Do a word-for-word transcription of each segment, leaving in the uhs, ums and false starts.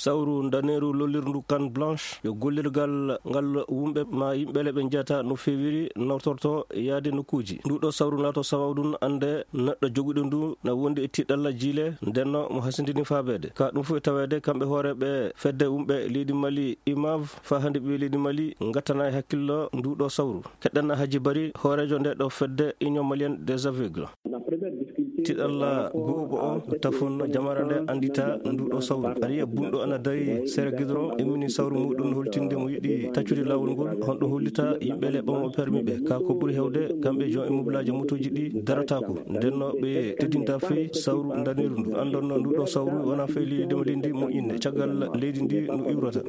Sawru ndaneeru lollirndu Canne Blanche yo gollirgal ngal wumɓe ma yimɓe le ɓe njiyata no feewiri nawtorto yaade nokkuuji. Ndu ɗo sawru laato sababu ɗum annde neɗɗo joguɗo ndu na wondi e tiɗalla jiile, ndenno mo hasindini faabeede. Ka ɗum fof e taweede kamɓe hoore ɓe fedde wumɓe leydi Mali imav, faa hannde ɓe leydi Mali ngattana e hakkillo ndu ɗo sawru. Keɗɗen Haji Bari, hooreejo nde ɗo fedde Union Malienne des Aveugles. Tiɗalla gu'uɓo o tafon jamara nde anndita ndu ɗo sawru. Ariya bunɗo ana dari sere gidoro, immini sawru muɗum holtinde mo yiɗi taccude laawol ngol. Honɗo hollita yimɓe le ɓamo permi ɓe? Ka ko ɓuri hewde, kamɓe jon e mublaaji motooji ɗi darataako. Ndenno ɓe teddinta fey sawru ndaneeru ndu. Anndonno ndu ɗo sawru wona fey leydi mo leydi moƴƴinde. Caggal leydi ndi no iwrata.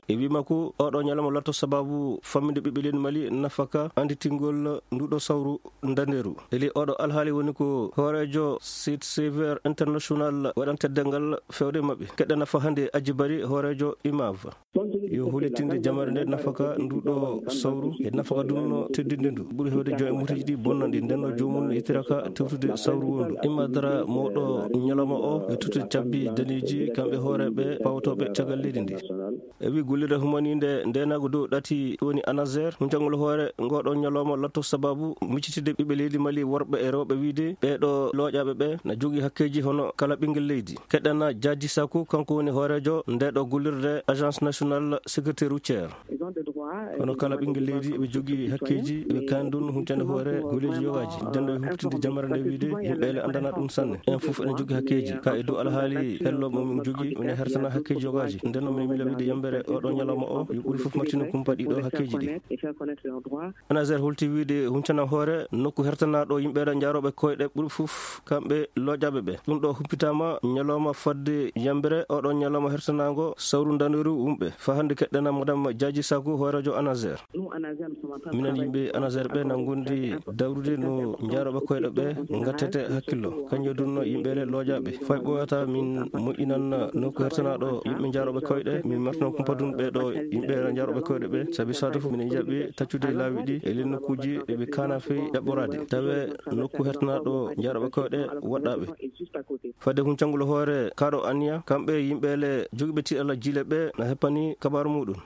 E wii makko, oɗo ñalawma latto sababu famminde ɓiɓɓe leydi Mali nafaka annditingol ndu ɗo sawru ndaneeru. Eli oɗo alhaali woni ko hooreejo Site Sévère International waɗan teddal ngal fewde maɓɓe. Keɗɗa nafa hannde Aji Bari, hooreejo imav. Yo hollitinde jamare nde nafaka ndu ɗo sawru e nafaka ɗum no teddinde ndu. Ɓuri hewde jon e muteji ɗi bonnanɗi, ndenno joomum no yittiraka tewtude sawru wondu. Imma dara mawɗo ñalawma o e tottude cabbi daneeji kamɓe hooreeɓe pawotooɓe caggal leydi ndi. E wi gollirde humaninde ndenago dow ɗati woni ANASER, huncangol hoore ngoɗo ñalawma latto sababu miccitide ɓiɓɓe leydi Mali worɓe e rewɓe wiide ɓeɗo looƴaɓe ɓe na jogii hakkeji hono kala ɓinngel leydi. Keɗɗana Jaaji Saku, kanko woni hooreejo ndeɗo gollirde Agence Nationale Sécurité Routière. Hono kala ɓinngel leydi ɓe jogii hakkeji, ɓe kandun huncande hoore golleji yogaaji. Denno ɓe humpitinde jamare nde wiide yimɓe le andana ɗum sanne. En fof ene jogii hakkeji. Ka e dow alhaali hello mo min jogii, mine hertana hakkeji yogaaji. Ndenno min mila wiide yambere oɗo ñalawma o, yo ɓuri fof martino kumpa ɗiɗo hakkeji ɗi. ANASER holti wiide huncana hoore nokku hertanaɗo yimɓe ɗe jaaroɓe koyɗe ɓuri fof kamɓe looƴaɓe ɓe. Ɗum ɗo humpitama ñalawma fodde yambere oɗo ñalawma hertanago sawru ndaneeru wumɓe. Fa hannde keɗɗena Madame Jaaji Saku, hooreejo ANASER. Minen yimɓe ANASER ɓe na ngondi dawrude no jaaroɓe koyɗe ɓe ngattete hakkillo. Kanƴe dunno yimɓe le looƴaɓe. Fay ɓooyata min moƴƴinan nokku hertanaɗo yimɓe jaaroɓe koyɗe, min martino kumpa dun ɓe ɗo yimɓe jaaroɓe koyɗe ɓe. Sabi saato fof minen jaɓi taccude laawi ɗi e len nokkuji ɗe ɓe kana fey ɗaɓɓorade. Tawe nokku hertanaɗo jaaroɓe koyɗe waɗɗaɓe. Fadde huncangol hoore kaɗo anniya, kamɓe yimɓe le jogiiɓe tiɗalla jiile ɓe na heppani kabaaru muɗum.